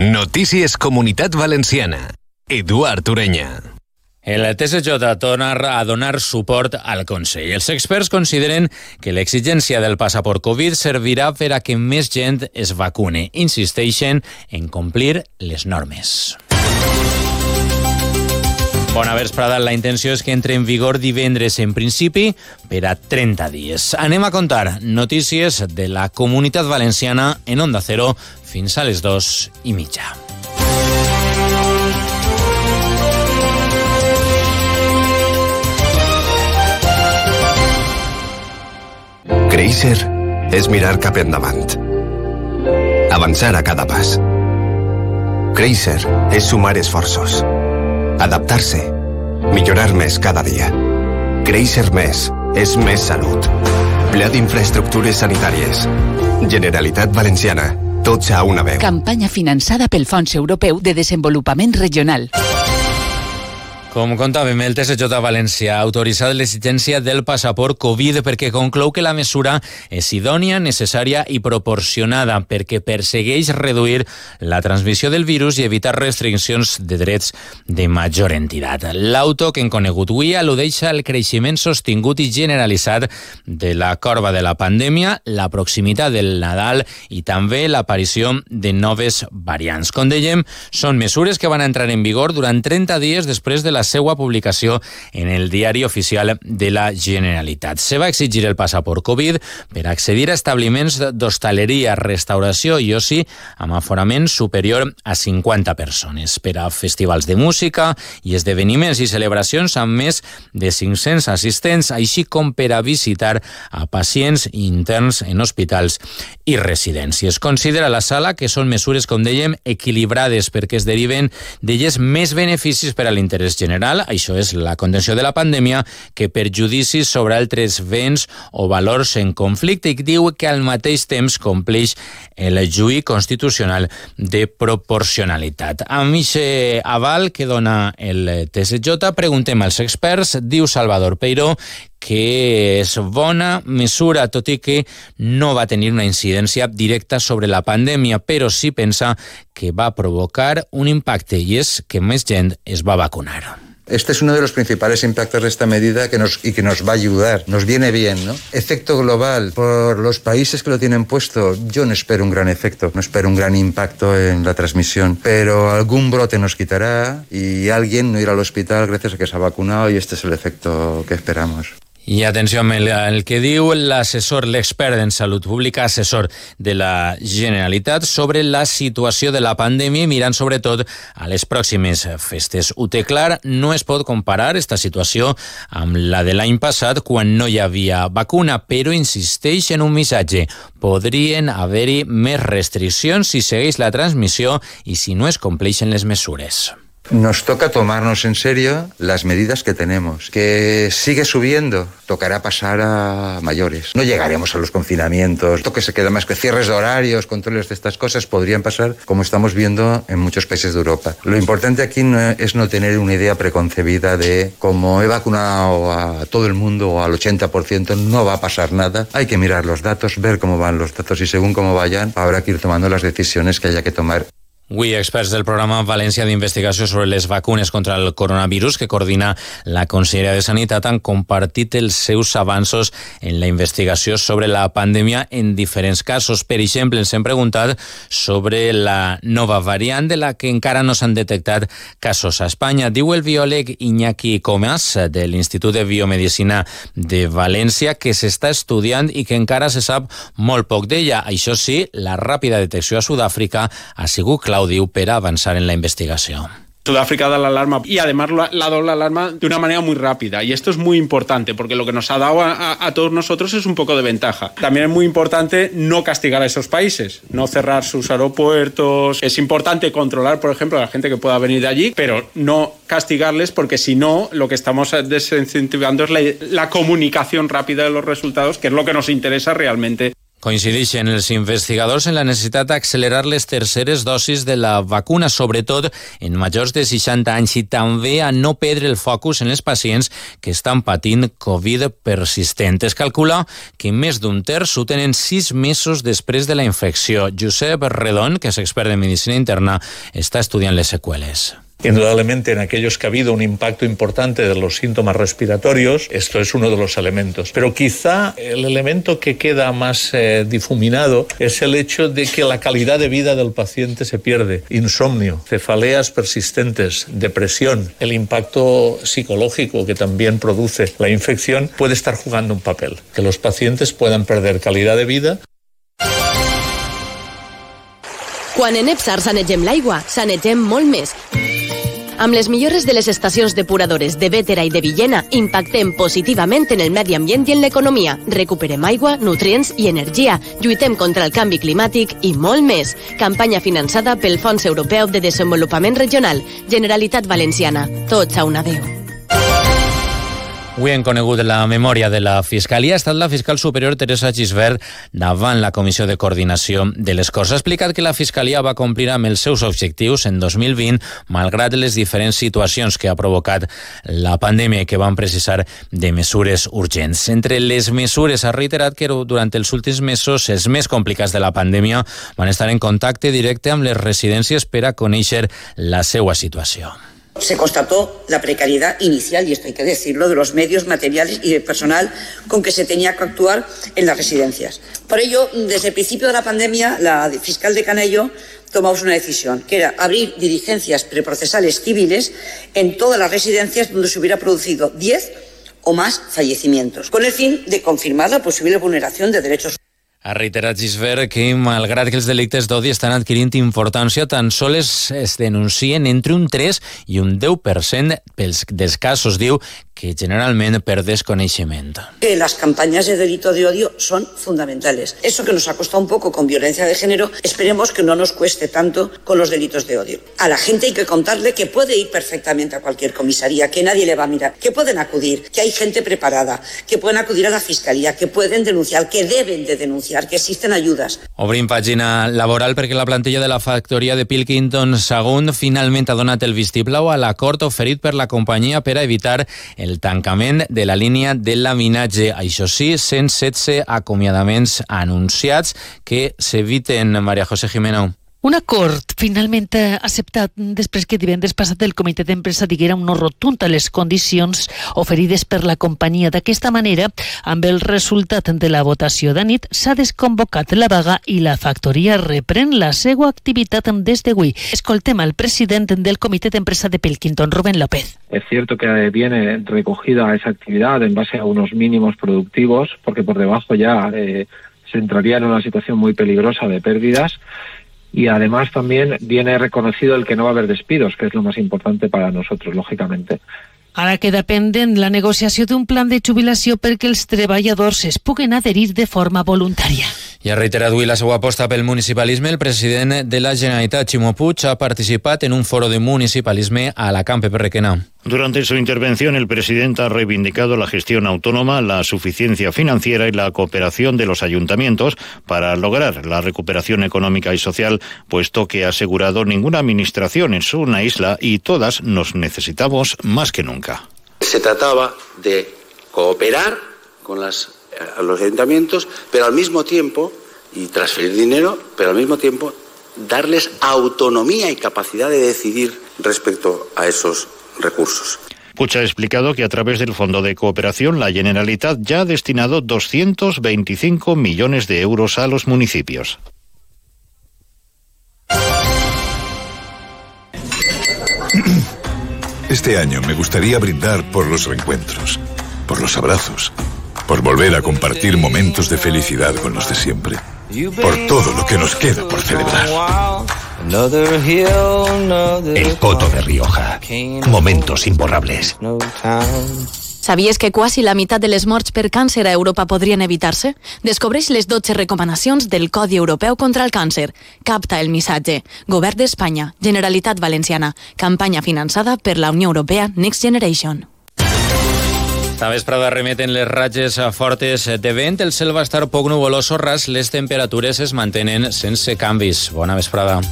Notícies Comunitat Valenciana. Eduard Ureña. El TSJ torna a donar suport al Consell. Els experts consideren que l'exigència del passaport Covid servirà per a que més gent es vacune. Insisteixen en complir les normes. Bona vesprada. La intenció és que entre en vigor divendres en principi per a 30 dies. Anem a contar notícies de la Comunitat Valenciana en Onda Cero fins a les 2:30. Créixer és mirar cap endavant. Avançar a cada pas. Créixer és sumar esforços. Adaptar-se. Millorar més cada dia. Créixer més és més salut. Pla d'infraestructures sanitàries. Generalitat Valenciana. Tots a una veu. Campanya finançada pel Fons Europeu de Desenvolupament Regional. Com contàvem, el TSJ València ha autoritzat l'exigència del passaport Covid perquè conclou que la mesura és idònia, necessària i proporcionada perquè persegueix reduir la transmissió del virus i evitar restriccions de drets de major entitat. L'auto que hem conegut avui al·ludeix al creixement sostingut i generalitzat de la corba de la pandèmia, la proximitat del Nadal i també l'aparició de noves variants. Com dèiem, són mesures que van entrar en vigor durant 30 dies després de la seva publicació en el Diari Oficial de la Generalitat. Se va exigir el passaport Covid per accedir a establiments d'hostaleria, restauració i oci amb aforament superior a 50 persones, per a festivals de música i esdeveniments i celebracions amb més de 500 assistents, així com per a visitar a pacients interns en hospitals i residències. Considera la sala que són mesures, com dèiem, equilibrades perquè es deriven d'elles més beneficis per a l'interès general, això és la contenció de la pandèmia, que perjudicis sobre altres béns o valors en conflicte, i diu que al mateix temps compleix el juí constitucional de proporcionalitat. Amb aquest aval que dona el TSJ, preguntem als experts. Diu Salvador Peiró que és bona mesura, tot i que no va tenir una incidència directa sobre la pandèmia, però sí pensa que va provocar un impacte, i és que més gent es va vacunar. Este es uno de los principales impactos de esta medida que nos va a ayudar, nos viene bien, ¿no? Efecto global, por los países que lo tienen puesto, yo no espero un gran efecto, no espero un gran impacto en la transmisión, pero algún brote nos quitará y alguien no irá al hospital gracias a que se ha vacunado, y este es el efecto que esperamos. I atenció amb el que diu l'assessor, l'expert en salut pública, assessor de la Generalitat, sobre la situació de la pandèmia, mirant sobretot a les pròximes festes. Ho té clar, no es pot comparar esta situació amb la de l'any passat, quan no hi havia vacuna, però insisteix en un missatge. Podrien haver-hi més restriccions si segueix la transmissió i si no es compleixen les mesures. Nos toca tomarnos en serio las medidas que tenemos. Que sigue subiendo, tocará pasar a mayores. No llegaremos a los confinamientos. Esto que se queda más que cierres de horarios, controles de estas cosas, podrían pasar como estamos viendo en muchos países de Europa. Lo importante aquí es no tener una idea preconcebida de como he vacunado a todo el mundo o al 80%, no va a pasar nada. Hay que mirar los datos, ver cómo van los datos y según cómo vayan, habrá que ir tomando las decisiones que haya que tomar. Avui, experts del programa València d'Investigació sobre les vacunes contra el coronavirus que coordina la Conselleria de Sanitat han compartit els seus avanços en la investigació sobre la pandèmia en diferents casos. Per exemple, ens hem preguntat sobre la nova variant de la que encara no s'han detectat casos a Espanya. Diu el biòleg Iñaki Comas, de l'Institut de Biomedicina de València, que s'està estudiant i que encara se sap molt poc d'ella. Això sí, la ràpida detecció a Sud-àfrica ha sigut clau, diu, per avançar en la investigació. Sudáfrica da la alarma y además la doble alarma de una manera muy rápida, y esto es muy importante porque lo que nos ha dado a todos nosotros es un poco de ventaja. También es muy importante no castigar a esos países, no cerrar sus aeropuertos. Es importante controlar, por ejemplo, a la gente que pueda venir de allí, pero no castigarles, porque si no, lo que estamos desincentivando es la comunicación rápida de los resultados, que es lo que nos interesa realmente. Coincideixen els investigadors en la necessitat d'accelerar les terceres dosis de la vacuna, sobretot en majors de 60 anys, i també a no perdre el focus en els pacients que estan patint Covid persistent. Es calcula que més d'un terç ho tenen 6 mesos després de la infecció. Josep Redon, que és expert en medicina interna, està estudiant les seqüeles. Indudablemente, en aquellos que ha habido un impacto importante de los síntomas respiratorios, esto es uno de los elementos. Pero quizá el elemento que queda más difuminado es el hecho de que la calidad de vida del paciente se pierde. Insomnio, cefaleas persistentes, depresión, el impacto psicológico que también produce la infección puede estar jugando un papel. Que los pacientes puedan perder calidad de vida. Quan en Epsar sanegem l'aigua, sanegem molt més. Amb les millores de les estacions depuradores de Bétera i de Villena, impactem positivament en el medi ambient i en l'economia. Recuperem aigua, nutrients i energia. Lluitem contra el canvi climàtic i molt més. Campanya finançada pel Fons Europeu de Desenvolupament Regional. Generalitat Valenciana. Tots a una veu. Avui hem conegut la memòria de la Fiscalia. Ha estat la fiscal superior Teresa Gisbert davant la Comissió de Coordinació de les Corts. Ha explicat que la Fiscalia va complir amb els seus objectius en 2020, malgrat les diferents situacions que ha provocat la pandèmia i que van precisar de mesures urgents. Entre les mesures ha reiterat que durant els últims mesos, els més complicats de la pandèmia, van estar en contacte directe amb les residències per a conèixer la seva situació. Se constató la precariedad inicial, y esto hay que decirlo, de los medios materiales y de personal con que se tenía que actuar en las residencias. Por ello, desde el principio de la pandemia, la fiscal de Canello tomamos una decisión, que era abrir diligencias preprocesales civiles en todas las residencias donde se hubiera producido 10 o más fallecimientos, con el fin de confirmar la posible vulneración de derechos. Ha reiterat Gisbert que, malgrat que els delictes d'odi estan adquirint importància, tan sols es denuncien entre un 3 i un 10% dels casos, diu, que generalment per desconeixement. Que las campañas de delito de odio son fundamentales. Eso que nos ha costado un poco con violencia de género, esperemos que no nos cueste tanto con los delitos de odio. A la gente hay que contarle que puede ir perfectamente a cualquier comisaría, que nadie le va a mirar, que pueden acudir, que hay gente preparada, que pueden acudir a la fiscalía, que pueden denunciar, que deben de denunciar, que existen ayudas. Obrim pàgina laboral perquè la plantilla de la factoria de Pilkington Sagunt finalment ha donat el vistiplau a l'acord oferit per la companyia per a evitar el tancament de la línia de laminatge. Això sí, 116 acomiadaments anunciats que s'eviten. Maria José Jimeno. Un acord finalment acceptat després que divendres passat el comitè d'empresa diguera un no rotund a les condicions oferides per la companyia. D'aquesta manera, amb el resultat de la votació d'anit, s'ha desconvocat la vaga i la factoria reprèn la seva activitat des d'avui. Escoltem al president del comitè d'empresa de Pilkington, Rubén López. Es cierto que viene recogida esa actividad en base a unos mínimos productivos, porque por debajo ya se entraría en una situación muy peligrosa de pérdidas. Y además también viene reconocido el que no va a haver despidos, que es lo más importante para nosotros, lógicamente. Ara queda pendent la negociació d'un plan de jubilació perquè els treballadors es puguen adherir de forma voluntària. I ha reiterat avui la seva aposta pel municipalisme. El president de la Generalitat, Ximo Puig, ha participat en un foro de municipalisme a la Camp Requena. Durante su intervención, el presidente ha reivindicado la gestión autónoma, la suficiencia financiera y la cooperación de los ayuntamientos para lograr la recuperación económica y social, puesto que ha asegurado ninguna administración es una isla y todas nos necesitamos más que nunca. Se trataba de cooperar con los ayuntamientos, pero al mismo tiempo, y transferir dinero, pero al mismo tiempo darles autonomía y capacidad de decidir respecto a esos recursos. Puig ha explicado que a través del Fondo de Cooperación la Generalitat ya ha destinado 225 millones de euros a los municipios. Este año me gustaría brindar por los reencuentros, por los abrazos, por volver a compartir momentos de felicidad con los de siempre, por todo lo que nos queda por celebrar. El Coto de Rioja. Momentos imborrables. Sabies que quasi la meitat de les morts per càncer a Europa podrien evitar-se? Descobreix les 12 recomanacions del Codi Europeu contra el Càncer. Capta el missatge. Govern d'Espanya, Generalitat Valenciana. Campanya finançada per la Unió Europea Next Generation. Esta vesprada remeten les ratxes fortes de vent, el cel va estar poc nuvolós o ras, les temperatures es mantenen sense canvis. Bona vesprada.